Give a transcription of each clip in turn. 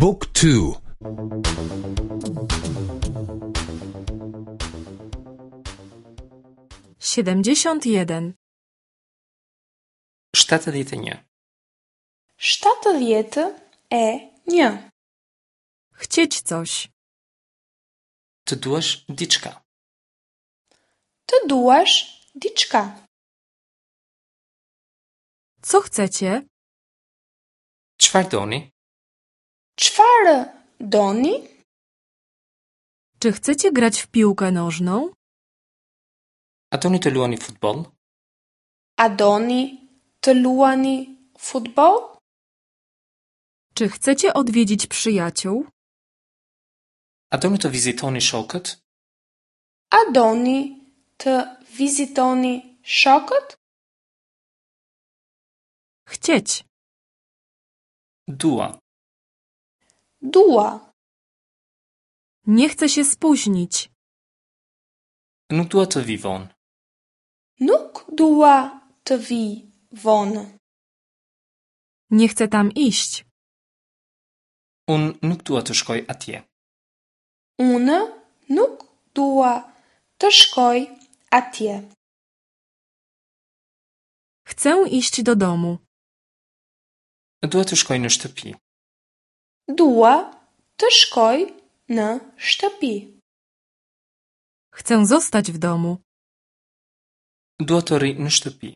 บุ๊กทู 71. 71. 71. Chcieć coś. Të duash diçka. Të duash diçka. Co chcecie? Çfarë doni? Çfarë doni? Czy chcecie grać w piłkę nożną? A doni të luani futboll? A doni të luani futboll? Czy chcecie odwiedzić przyjaciół? A doni të vizitoni shokët? A doni të vizitoni shokët? Chcieć. Dua. Dua. Nie chcę się spóźnić. Nuk dua të vi vonë. Nuk dua të vi vonë. Nie chcę tam iść. Unë nuk dua të shkoj atje. Unë nuk dua të shkoj atje. Chcę iść do domu. Dua të shkoj në shtëpi. Dua të shkoj në shtëpi. Chcę zostać w domu. Dua të rri në shtëpi.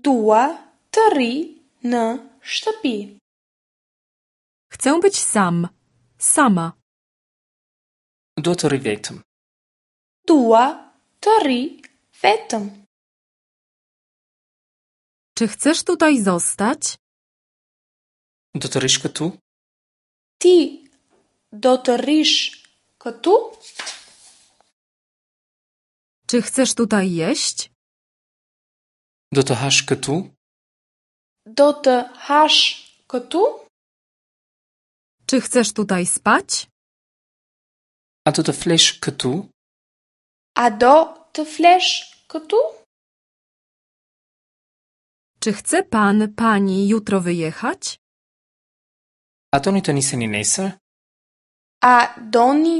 Dua të rri në shtëpi. Chcę być sam. Sama. Dua të rri vetëm. Dua të rri vetëm. Czy chcesz tutaj zostać? Do të rrish këtu? Ti do të rrish këtu? Czy chcesz tutaj jeść? Do të hash këtu? Do të hash këtu? Czy chcesz tutaj spać? A do të flesh këtu? A do të flesh këtu? Czy chce pan, pani jutro wyjechać? A doni të niseni nesër? A doni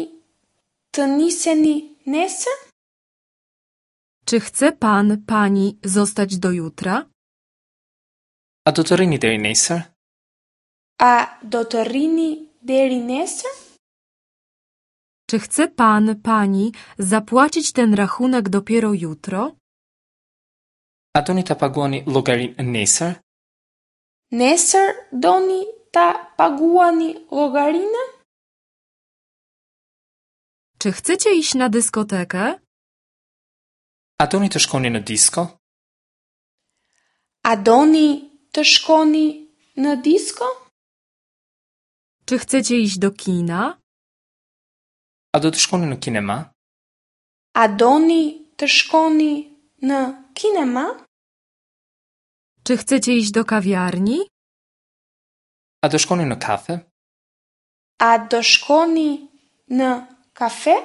të niseni nesër? Czy chce pan, pani zostać do jutra? A do të rrini deri nesër? A do të rrini deri nesër? Czy chce pan, pani zapłacić ten rachunek dopiero jutro? A doni ta paguani llogarinë nesër? Nesër doni ta paguani llogarinë? Czy chcecie iść na dyskotekę? A doni të shkoni në disko? A doni të shkoni në disko? Czy chcecie iść do kina? A do të shkoni në kinema? A doni të shkoni në kinema? Czy chcecie iść do kawiarni? A do shkoni në kafe? A do shkoni në kafe?